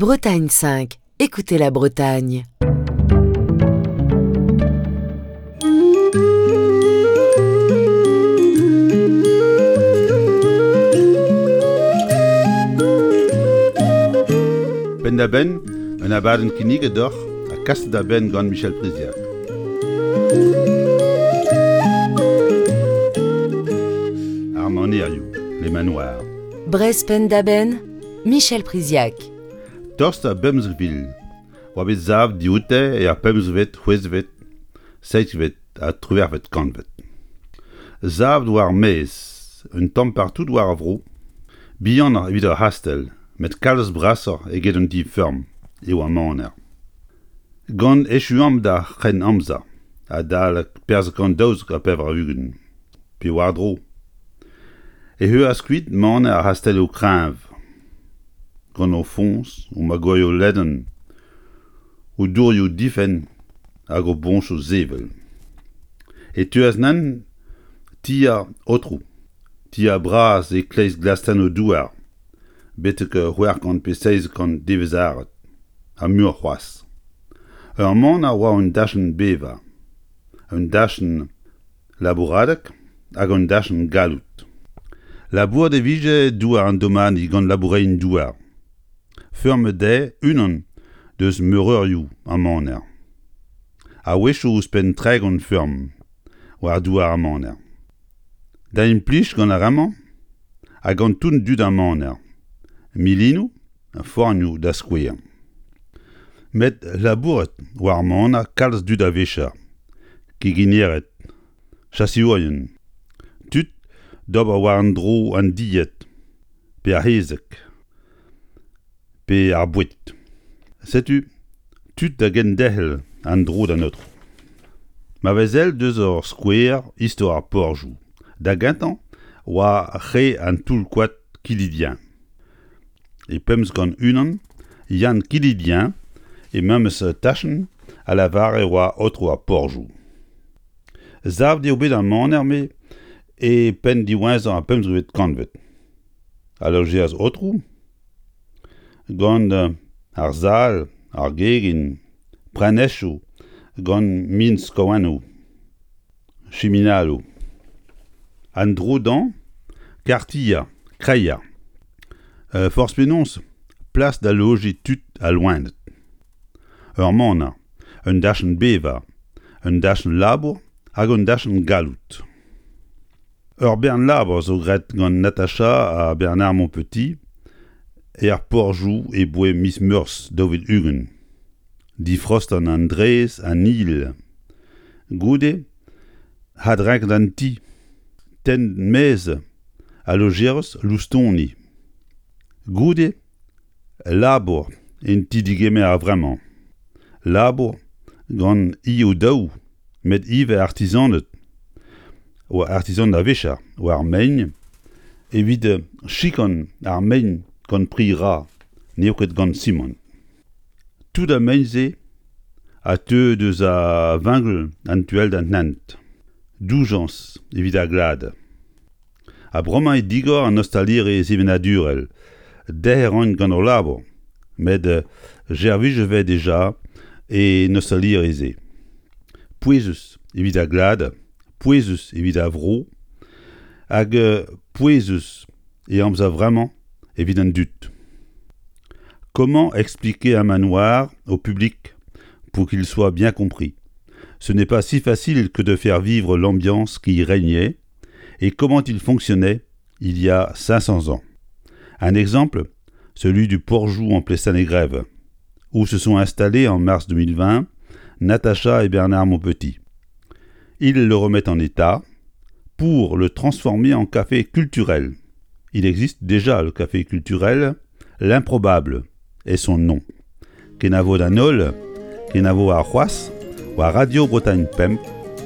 Bretagne 5, écoutez la Bretagne. Penn-da-benn, un abadenn kinniget deoc'h ha kaset da benn gant Michel Priziac. Ar manerioù, les manoirs. Brest penn-da-benn, Michel Priziac. Tost a bemzek vil oa bet savet dioute er pemzekvet, c'hwezekvet, seizhvet ha triwec'hvet kantved. Savet war ar maez, un tamm partout war ar vro, bihanoc'h evit ur c'hastell, met kalz brasoc'h eget un ti-feurm eo ar maner. Gant echuamp d'ar c'hrenn-amzer, adalek perzh 192 pe war-dro, e heuas kuit maner ar c'hastelloù kreñv, gant o foñs, o magorioù ledan, o dourioù difenn hag o boñchoù sevel. E teuas nann ti ar aotrou, ti ar braz e-kreiz glastennoù douar, betek 600 pe 700 devezh-arat, ha muioc'h c'hoazh. Ur maner a oa un dachenn bevañ, un dachenn labouradeg hag un dachenn galloud. Labourat e vije douar an domani gant laboureien-douar. Feurmet dezhe unan deus meureurioù ar maner. A-wechoù ouzhpenn 30 feurm war douar ar maner. Da implij gant ar re-mañ ha gant tout dud ar maner, milinoù ha fornioù da skouer. Met labourat war ar maner kalz dud a-wechoù, keginered, chaseourien, tud d'ober war an dro an dilhad pe ar c'hezeg pe ar boued. Setu tud da genderc'hel an dro d'an aotrou. Ma vez sell deus ur skouer istor ar porzhioù. Da gentañ oa re an toull-koad Kilidien. E 1501, Yann Kilidien, e memes tachenn, a lavare oa aotrou ar porzhioù. Savet eo bet ar maner-me e penn diwezhañ ar pemzekvet kantved. Al lojeaz aotrou, gant ar sal, ar gegin, prenestroù gant min-skouarnoù, chiminaloù. An dro-dañ, kartier, kreier. Forzh penaos, plas da lojiñ tud ha loened. Ur maner, un dachenn bevañ, un dachenn labour hag un dachenn galloud. Ur bern labour zo graet gant Natacha ha Bernard Montpetit er porzhioù e boe miz Meurzh 2020. Difraostañ an drez an hil. Goude adrenket an ti, tenn maez al lojeroz loustoni. Goude labour en ti-degemer a-vremañ. Labour gant ioù-daou met ivez artizaned oa artizaned a-wechoù war mein evit chikan ar mein gant pri ra n'eo ket gant simant. Tout ar mein-se a teu deus a vengl an tu all d'an hent. Doujañs evit ar glad. Ha bremañ eo digor an ostaliri sevenadurel. Derc'hel a ran gant o labour, met servij e vez dija en ostaliri-se. Pouezus evit ar glad, pouezus evit ar vro, hag pouezus e amzer vremañ evit an dud. Comment expliquer un manoir au public pour qu'il soit bien compris Ce n'est pas si facile que de faire vivre l'ambiance qui y régnait et comment il fonctionnait il y a 500 ans. Un exemple, celui du Porjou en Plestin-les-Grèves, où se sont installés en mars 2020 Natacha et Bernard Montpetit. Ils le remettent en état pour le transformer en café culturel. Il existe déjà le café culturel, l'improbable est son nom. Kenavo d'an holl, kenavo ar c'hoazh, war Radio Bretagne Pemp,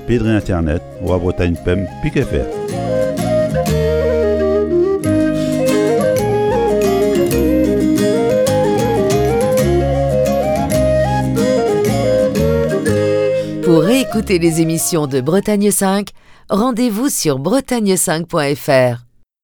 pe dre internet war Bretagne Pemp pik FR. Pour réécouter les émissions de Bretagne 5, rendez-vous sur bretagne5.fr.